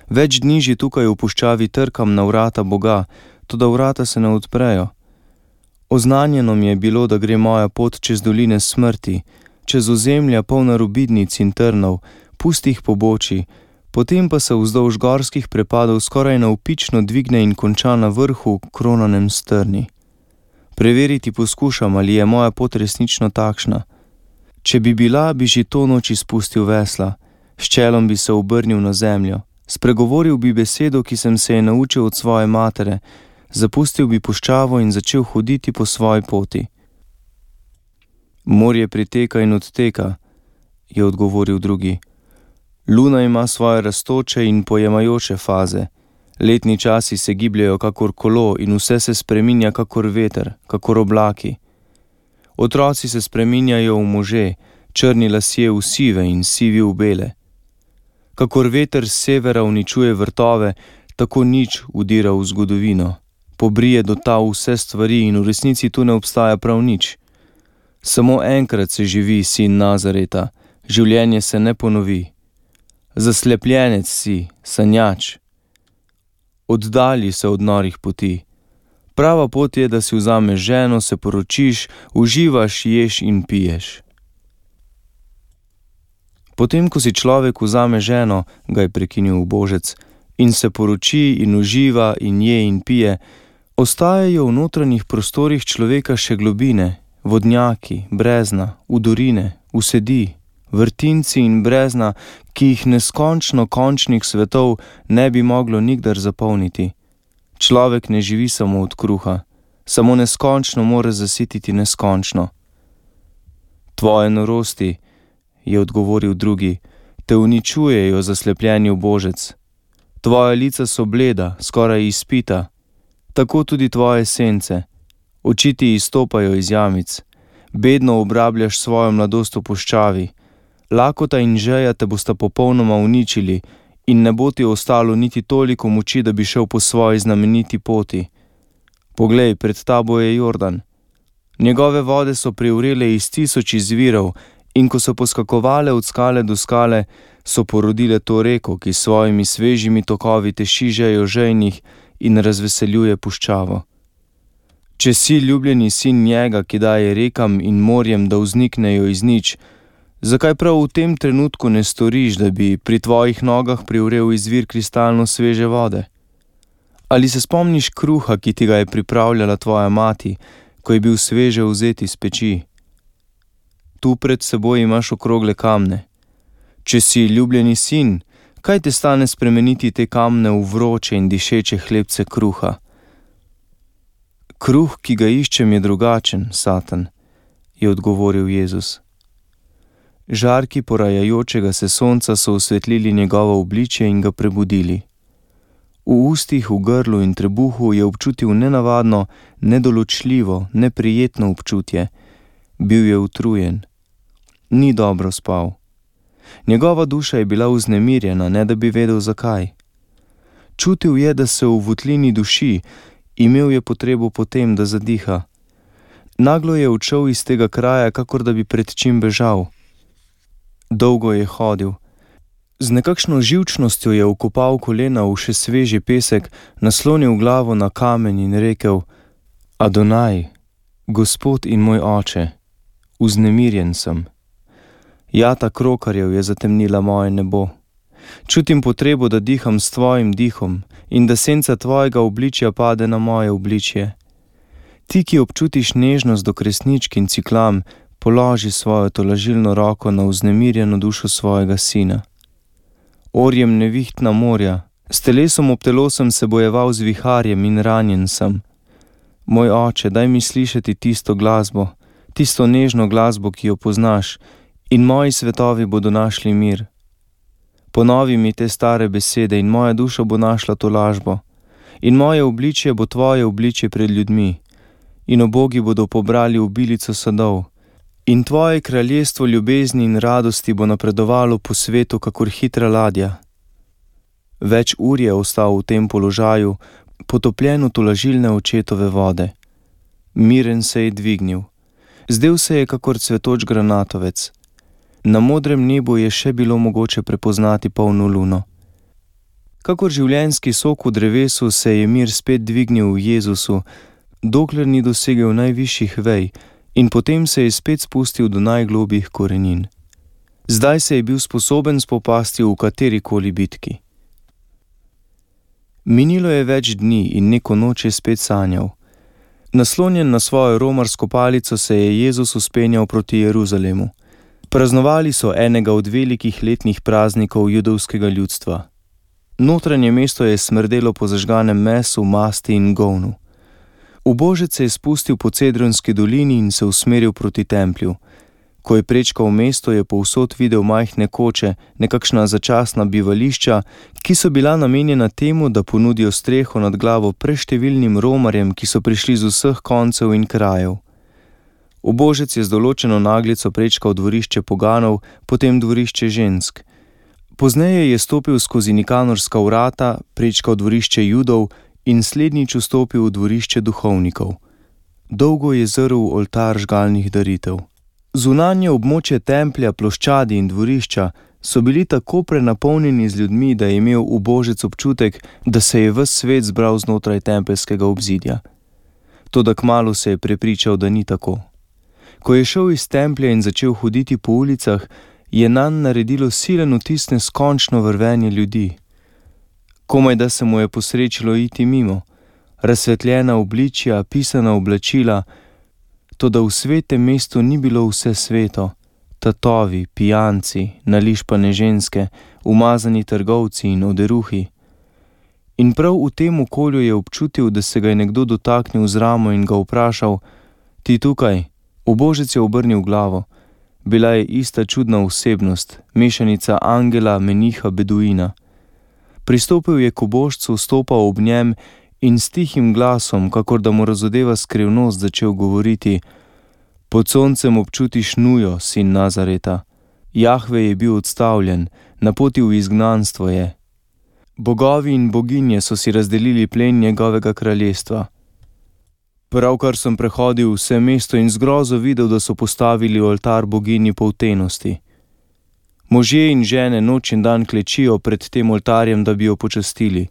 Več dni že tukaj v puščavi trkam na vrata Boga, toda vrata se ne odprejo. Oznanjeno mi je bilo, da gre moja pot čez doline smrti, čez ozemlja polna rubidnic in trnov, pustih pobočij, potem pa se vzdolž gorskih prepadov skoraj navpično dvigne in konča na vrhu, kronanem s trni. Preveriti poskušam, ali je moja pot resnično takšna. Če bi bila, bi že to noč izpustil vesla, s čelom bi se obrnil na zemljo, spregovoril bi besedo, ki sem se je naučil od svoje matere, zapustil bi puščavo in začel hoditi po svoji poti. Morje priteka in odteka, je odgovoril drugi. Luna ima svoje rastoče in pojemajoče faze. Letni časi se gibljajo kakor kolo in vse se spreminja kakor veter, kakor oblaki. Otroci se spreminjajo v može, črni lasje v sive in sivi v bele. Kakor veter s severa uničuje vrtove, tako nič udira v zgodovino. Pobrije do ta vse stvari in v resnici tu ne obstaja prav nič. Samo enkrat se živi, sin Nazareta, življenje se ne ponovi. Zaslepljenec si, sanjač. Oddalji se od norih poti. Prava pot je, da si vzameš ženo, se poročiš, uživaš, ješ in piješ. Potem, ko si človek vzame ženo, ga je prekinil ubožec, in se poroči in uživa in je in pije, ostajajo v notranjih prostorih človeka še globine, vodnjaki, brezna, udorine, usedi, vrtinci in brezna, ki jih neskončno končnih svetov ne bi moglo nikdar zapolniti. Človek ne živi samo od kruha, samo neskončno mora zasititi neskončno. Tvoje norosti, je odgovoril drugi, te uničujejo, zaslepljeni ubožec. Tvoja lica so bleda, skoraj izpita, tako tudi tvoje sence. Oči ti izstopajo iz jamic, bedno obrabljaš svojo mladost v puščavi. Lakota in žeja te bosta popolnoma uničili in ne bo ti ostalo niti toliko moči, da bi šel po svoji znameniti poti. Poglej, pred tabo je Jordan. Njegove vode so privrele iz 1000 izvirov in ko so poskakovale od skale do skale, so porodile to reko, ki s svojimi svežimi tokovi teši žejo žejnih in razveseljuje puščavo. Če si ljubljeni sin njega, ki daje rekam in morjem, da vzniknejo iz nič, zakaj prav v tem trenutku ne storiš, da bi pri tvojih nogah privrel izvir kristalno sveže vode? Ali se spomniš kruha, ki ti ga je pripravljala tvoja mati, ko je bil sveže vzet iz peči? Tu pred seboj imaš okrogle kamne. Če si ljubljeni sin, kaj te stane spremeniti te kamne v vroče in dišeče hlebce kruha? Kruh, ki ga iščem, je drugačen, Satan, je odgovoril Jezus. Žarki porajajočega se sonca so osvetlili njegovo obličje in ga prebudili. V ustih, v grlu in trebuhu je občutil nenavadno, nedoločljivo, neprijetno občutje. Bil je utrujen. Ni dobro spal. Njegova duša je bila vznemirjena, ne da bi vedel zakaj. Čutil je, da se v votlini duši, imel je potrebo potem, da zadiha. Naglo je odšel iz tega kraja, kakor da bi pred čim bežal. Dolgo je hodil. Z nekakšno živčnostjo je vkopal kolena v še sveži pesek, naslonil glavo na kamen in rekel: Adonaj, Gospod in moj oče, vznemirjen sem. Jata krokarjev je zatemnila moje nebo. Čutim potrebo, da diham s tvojim dihom in da senca tvojega obličja pade na moje obličje. Ti, ki občutiš nežnost do kresničk in ciklam, položi svojo tolažilno roko na vznemirjeno dušo svojega sina. Orjem nevihtna morja, s telesom ob telo sem se bojeval z viharjem in ranjen sem. Moj oče, daj mi slišati tisto glasbo, tisto nežno glasbo, ki jo poznaš, in moji svetovi bodo našli mir. Ponovi mi te stare besede in moja duša bo našla tolažbo. In moje obličje bo tvoje obličje pred ljudmi. In obogi bodo pobrali obilico sadov. In tvoje kraljestvo ljubezni in radosti bo napredovalo po svetu, kakor hitra ladja. Več ur je ostal v tem položaju, potopljen v tolažilne očetove vode. Miren se je dvignil. Zdel se je kakor cvetoč granatovec. Na modrem nebu je še bilo mogoče prepoznati polno luno. Kakor življenjski sok v drevesu se je mir spet dvignil v Jezusu, dokler ni dosegel najvišjih vej, in potem se je spet spustil do najglobjih korenin. Zdaj se je bil sposoben spopasti v katerikoli bitki. Minilo je več dni in neko noč je spet sanjal. Naslonjen na svojo romarsko palico se je Jezus vzpenjal proti Jeruzalemu. Praznovali so enega od velikih letnih praznikov judovskega ljudstva. Notranje mesto je smrdelo po zažganem mesu, masti in govnu. Ubožec se je spustil po Cedronski dolini in se usmeril proti templju. Ko je prečkal mesto, je povsod videl majhne koče, nekakšna začasna bivališča, ki so bila namenjena temu, da ponudijo streho nad glavo preštevilnim romarjem, ki so prišli z vseh koncev in krajev. Ubožec je z določeno naglico prečkal dvorišče poganov, potem dvorišče žensk. Pozneje je stopil skozi Nikanorska vrata, prečkal dvorišče Judov in slednjič vstopil v dvorišče duhovnikov. Dolgo je zrl oltar žgalnih daritev. Zunanje območje templja, ploščadi in dvorišča so bili tako prenapolnjeni z ljudmi, da je imel ubožec občutek, da se je ves svet zbral znotraj tempeljskega obzidja. Toda kmalu se je prepričal, da ni tako. Ko je šel iz templja in začel hoditi po ulicah, je nanj naredilo silen vtis neskončno vrvenje ljudi. Komaj da se mu je posrečilo iti mimo, razsvetljena obličja, pisana oblačila, toda v svetem mestu ni bilo vse sveto, tatovi, pijanci, nališpane ženske, umazani trgovci in oderuhi. In prav v tem okolju je občutil, da se ga je nekdo dotaknil z ramo in ga vprašal: Ti tukaj? Ubožec je obrnil glavo. Bila je ista čudna osebnost, mešanica angela, meniha, beduina. Pristopil je k ubožcu, stopal ob njem in s tihim glasom, kakor da mu razodeva skrivnost, začel govoriti: Pod soncem občutiš nujo, sin Nazareta. Jahve je bil odstavljen, na poti v izgnanstvo je. Bogovi in boginje so si razdelili plen njegovega kraljestva. Pravkar sem prehodil vse mesto in z grozo videl, da so postavili oltar boginji poltenosti. Možje in žene noč in dan klečijo pred tem oltarjem, da bi jo počastili.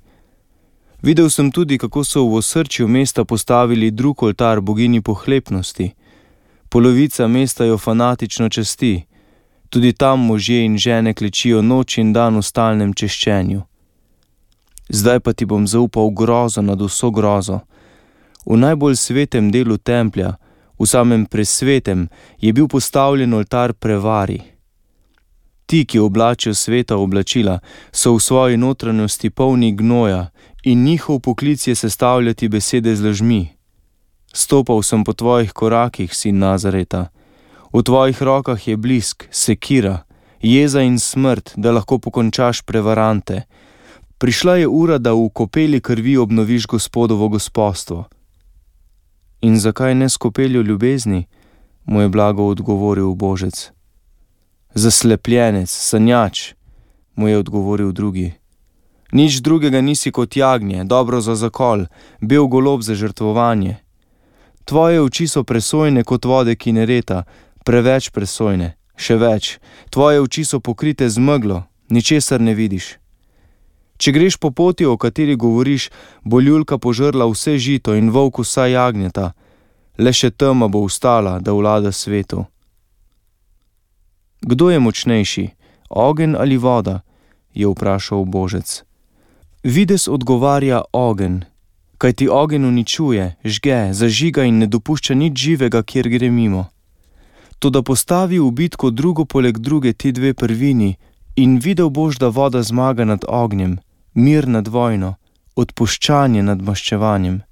Videl sem tudi, kako so v osrčju mesta postavili drug oltar boginji pohlepnosti. Polovica mesta jo fanatično časti. Tudi tam možje in žene klečijo noč in dan v stalnem češčenju. Zdaj pa ti bom zaupal grozo nad vso grozo. V najbolj svetem delu templja, v samem presvetem, je bil postavljen oltar prevari. Ti, ki oblačijo sveta oblačila, so v svoji notranjosti polni gnoja in njihov poklic je sestavljati besede z lažmi. Stopal sem po tvojih korakih, sin Nazareta. V tvojih rokah je blisk, sekira, jeza in smrt, da lahko pokončaš prevarante. Prišla je ura, da v kopeli krvi obnoviš Gospodovo gospodstvo. In zakaj ne s kopeljo ljubezni? Mu je blago odgovoril ubožec. Zaslepljenec, sanjač, mu je odgovoril drugi. Nič drugega nisi kot jagnje, dobro za zakol, bel golob za žrtvovanje. Tvoje oči so presojne kot vode Kinereta, preveč presojne, Še več, tvoje oči so pokrite z meglo, ničesar ne vidiš. Če greš po poti, o kateri govoriš, bo ljulka požrla vse žito in volk vsa jagnjeta, le še tema bo ostala, da vlada svetu. Kdo je močnejši, ogenj ali voda? Je vprašal ubožec. Videz odgovarja ogenj, kajti ogenj uničuje, žge, zažiga in ne dopušča nič živega, kjer gre mimo. Toda postavi v bitko drugo poleg druge ti dve prvini in videl boš, da voda zmaga nad ognjem, mir nad vojno, odpuščanje nad maščevanjem.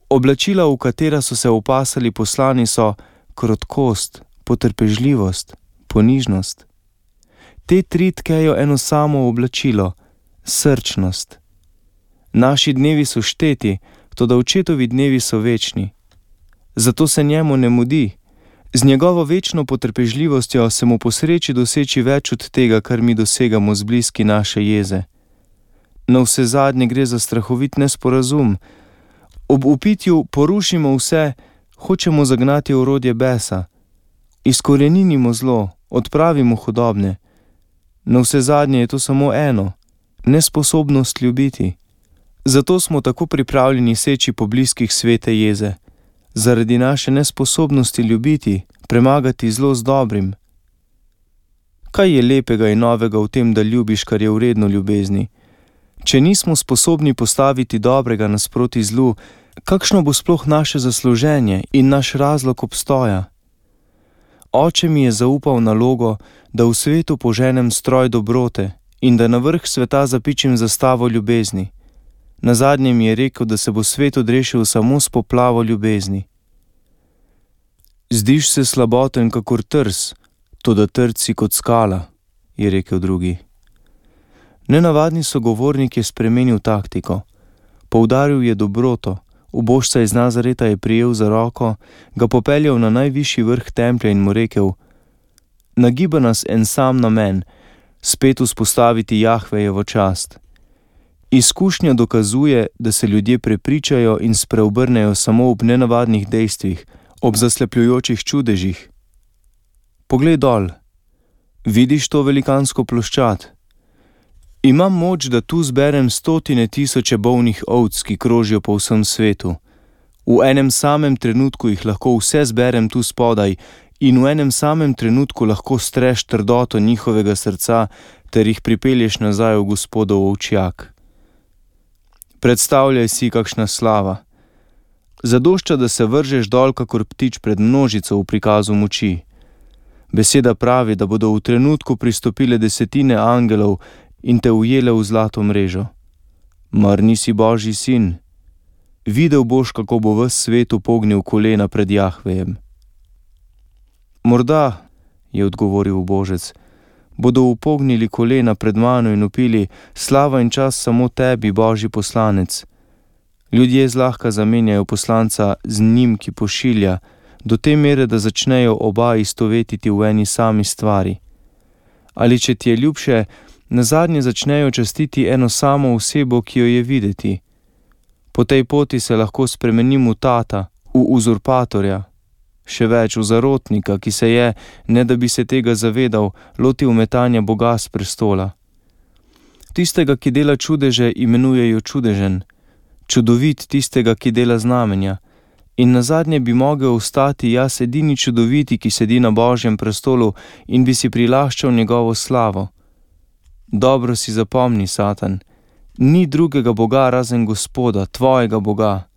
Oblačila, v katera so se opasali poslani, so krotkost, potrpežljivost, ponižnost. Te tri tkejo eno samo oblačilo, srčnost. Naši dnevi so šteti, toda očetovi dnevi so večni. Zato se njemu ne mudi. Z njegovo večno potrpežljivostjo se mu posreči doseči več od tega, kar mi dosegamo z bliski naše jeze. Navsezadnje gre za strahovit nesporazum. Ob upitju porušimo vse, hočemo zagnati orodje besa. Izkoreninimo zlo, odpravimo hudobne. Navsezadnje je to samo eno, nesposobnost ljubiti. Zato smo tako pripravljeni seči po bliskih svete jeze. Zaradi naše nesposobnosti ljubiti, premagati zlo z dobrim. Kaj je lepega in novega v tem, da ljubiš, kar je vredno ljubezni? Če nismo sposobni postaviti dobrega nasproti zlu, kakšno bo sploh naše zasluženje in naš razlog obstoja? Oče mi je zaupal nalogo, da v svetu poženem stroj dobrote in da na vrh sveta zapičim zastavo ljubezni. Nazadnje mi je rekel, da se bo svet odrešil samo s poplavo ljubezni. Zdiš se slaboten kakor trs, toda trd si kot skala, je rekel drugi. Nenavadni sogovornik je spremenil taktiko. Poudaril je dobroto, ubožca iz Nazareta je prijel za roko, ga popeljal na najvišji vrh templja in mu rekel: nagiba nas en sam namen, spet vzpostaviti Jahvejevo čast. Izkušnja dokazuje, da se ljudje prepričajo in spreobrnejo samo ob nenavadnih dejstvih, ob zaslepljujočih čudežih. Poglej dol, vidiš to velikansko ploščad? Imam moč, da tu zberem 100.000 bolnih ovc, ki krožijo po vsem svetu. V enem samem trenutku jih lahko vse zberem tu spodaj in v enem samem trenutku lahko streš trdoto njihovega srca ter jih pripelješ nazaj v Gospodov ovčjak. Predstavljaj si, kakšna slava. Zadošča, da se vržeš dol kakor ptič pred množico v prikazu moči. Beseda pravi, da bodo v trenutku pristopile 10 angelov in te ujele v zlato mrežo. Mar nisi Božji sin? Videl boš, kako bo ves svet upognil kolena pred Jahvejem. Morda, je odgovoril ubožec, bodo upognili kolena pred mano in vpili: slava in čas samo tebi, Božji poslanec. Ljudje zlahka zamenjajo poslanca z njim, ki pošilja, do te mere, da začnejo oba istovetiti v eni sami stvari. Ali če ti je ljubše, nazadnje začnejo častiti eno samo osebo, ki jo je videti. Po tej poti se lahko spremenim v tata, v uzurpatorja, še več v zarotnika, ki se je, ne da bi se tega zavedal, lotil metanja Boga s prestola. Tistega, ki dela čudeže, imenujejo čudežen, čudovit tistega, ki dela znamenja, in nazadnje bi mogel ostati jaz edini čudoviti, ki sedi na Božjem prestolu in bi si prilaščal njegovo slavo. Dobro si zapomni, Satan, ni drugega Boga razen Gospoda, tvojega Boga.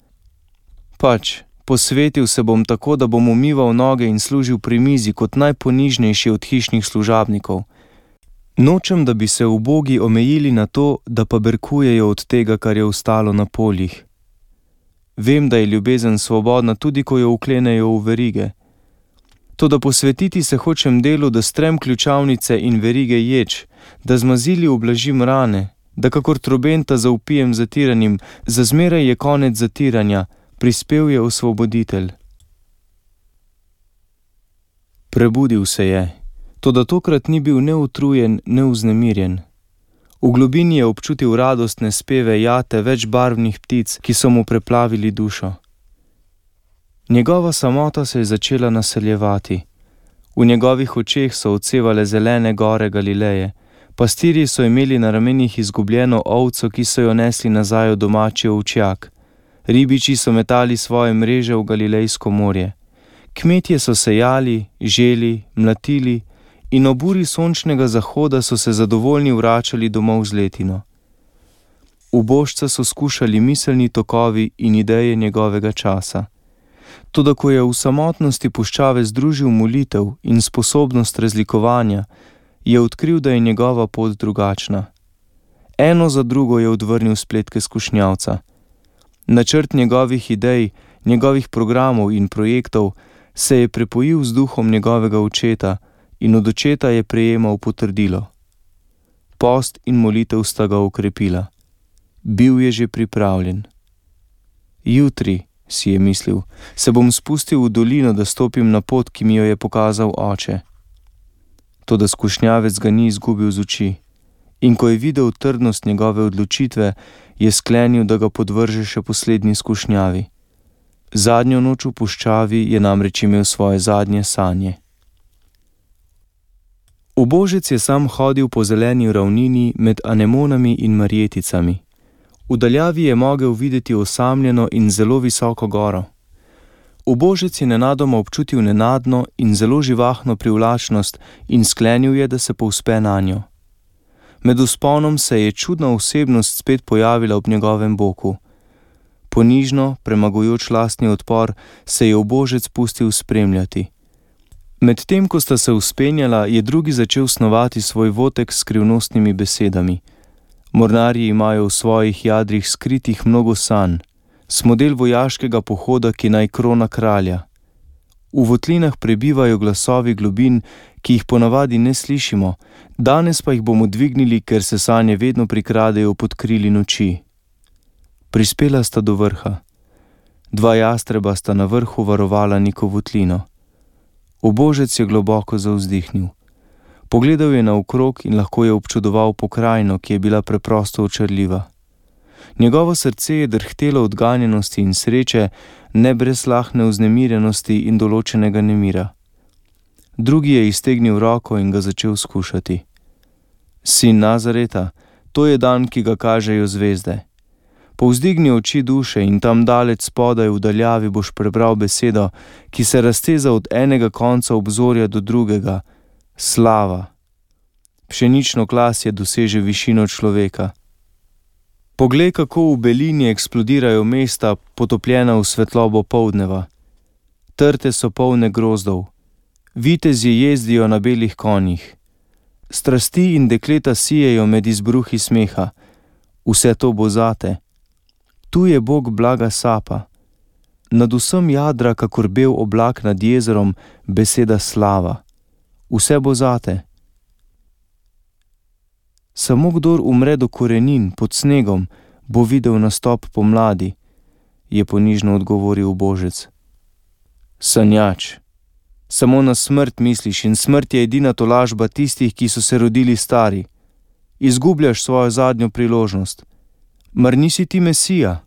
Pač, posvetil se bom tako, da bom umival noge in služil pri mizi kot najponižnejši od hišnih služabnikov. Nočem, da bi se ubogi omejili na to, da pa berkujejo od tega, kar je ostalo na poljih. Vem, da je ljubezen svobodna, tudi ko jo uklenejo v verige. Toda posvetiti se hočem delu, da strem ključavnice in verige ječ, da z mazili ublažim rane, da kakor trobenta zaupijem zatiranim, za zmeraj je konec zatiranja, prispel je osvoboditelj. Prebudil se je, toda tokrat ni bil ne utrujen, ne vznemirjen. V globini je občutil radostne speve jate več barvnih ptic, ki so mu preplavili dušo. Njegova samota se je začela naseljevati. V njegovih očeh so odsevale zelene gore Galileje. Pastirji so imeli na ramenih izgubljeno ovco, ki so jo nesli nazaj v domači ovčjak. Ribiči so metali svoje mreže v Galilejsko morje. Kmetje so sejali, želi, mlatili in ob uri sončnega zahoda so se zadovoljni vračali domov z letino. Ubožca so skušali miselni tokovi in ideje njegovega časa. Toda ko je v samotnosti puščave združil molitev in sposobnost razlikovanja, je odkril, da je njegova pot drugačna. Eno za drugo je odvrnil spletke skušnjavca. Načrt njegovih idej, njegovih programov in projektov se je prepojil z duhom njegovega očeta in od očeta je prejemal potrdilo. Post in molitev sta ga okrepila. Bil je že pripravljen. Jutri, si je mislil, se bom spustil v dolino, da stopim na pot, ki mi jo je pokazal oče. Toda skušnjavec ga ni izgubil z oči in ko je videl trdnost njegove odločitve, je sklenil, da ga podvrže še poslednji skušnjavi. Zadnjo noč v puščavi je namreč imel svoje zadnje sanje. Ubožec je sam hodil po zeleni ravnini med anemonami in marjeticami. V daljavi je mogel videti osamljeno in zelo visoko goro. Ubožec je nenadoma občutil nenadno in zelo živahno privlačnost in sklenil je, da se povzpe nanjo. Med vzponom se je čudna osebnost spet pojavila ob njegovem boku. Ponižno, premagujoč lastni odpor, se je ubožec pustil spremljati. Medtem ko sta se vzpenjala, je drugi začel snovati svoj votek s skrivnostnimi besedami. Mornarji imajo v svojih jadrih skritih mnogo sanj, smodel vojaškega pohoda, ki naj krona kralja. V votlinah prebivajo glasovi globin, ki jih ponavadi ne slišimo, danes pa jih bomo dvignili, ker se sanje vedno prikradejo pod krili noči. Prispela sta do vrha. Dva jastreba sta na vrhu varovala neko votlino. Ubožec je globoko zavzdihnil. Pogledal je naokrog in lahko je občudoval pokrajino, ki je bila preprosto očarljiva. Njegovo srce je drhtelo od ganjenosti in sreče, ne brez lahne vznemirjenosti in določenega nemira. Drugi je iztegnil roko in ga začel skušati. Sin Nazareta, to je dan, ki ga kažejo zvezde. Povzdigni oči duše in tam daleč spodaj v daljavi boš prebral besedo, ki se razteza od enega konca obzorja do drugega. Slava. Pšenično klasje doseže višino človeka. Poglej, kako v belini eksplodirajo mesta, potopljena v svetlobo poldneva. Trte so polne grozdov. Vitezi jezdijo na belih konjih. Strasti in dekleta sijejo med izbruhi smeha. Vse to bo zate. Tu je Bog blaga sapa. Nad vsem jadra, kakor bel oblak nad jezerom, beseda slava. Vse bo zate. Samo kdor umre do korenin pod snegom, bo videl nastop pomladi, je ponižno odgovoril ubožec. Sanjač, samo na smrt misliš in smrt je edina tolažba tistih, ki so se rodili stari. Izgubljaš svojo zadnjo priložnost. Mar nisi ti Mesija?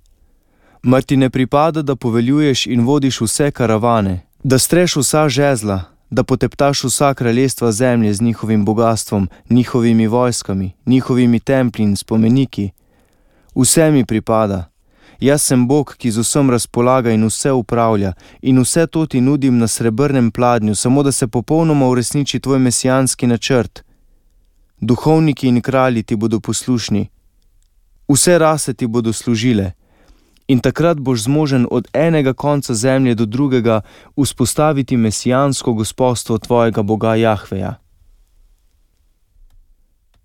Mar ti ne pripada, da poveljuješ in vodiš vse karavane, da streš vsa žezla, da poteptaš vsa kraljestva zemlje z njihovim bogastvom, njihovimi vojskami, njihovimi templji in spomeniki? Vse mi pripada. Jaz sem Bog, ki z vsem razpolaga in vse upravlja, in vse to ti nudim na srebrnem pladnju, samo da se popolnoma uresniči tvoj mesijanski načrt. Duhovniki in kralji ti bodo poslušni. Vse rase ti bodo služile. In takrat boš zmožen od enega konca zemlje do drugega vzpostaviti mesijansko gospodstvo tvojega Boga Jahveja.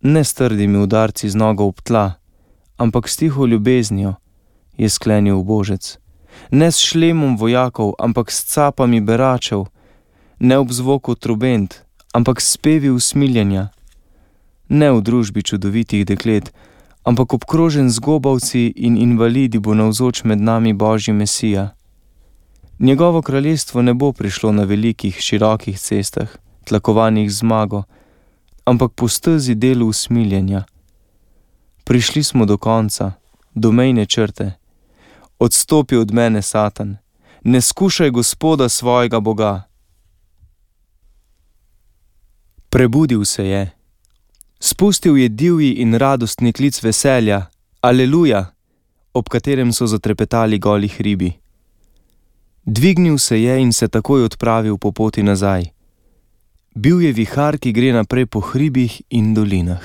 Ne s trdimi udarci z nogo ob tla, ampak s tiho ljubeznijo, je sklenil ubožec. Ne s šlemom vojakov, ampak s capami beračev, ne ob zvoku trobent, ampak s spevi usmiljenja, ne v družbi čudovitih deklet, ampak obkrožen z gobavci in invalidi bo navzoč med nami Božji Mesija. Njegovo kraljestvo ne bo prišlo na velikih, širokih cestah, tlakovanih zmago, ampak po stezi delu usmiljenja. Prišli smo do konca, do mejne črte. Odstopi od mene, Satan, ne skušaj Gospoda svojega Boga. Prebudil se je. Spustil je divji in radostni klic veselja, aleluja, ob katerem so zatrepetali goli hribi. Dvignil se je in se takoj odpravil po poti nazaj. Bil je vihar, ki gre naprej po hribih in dolinah.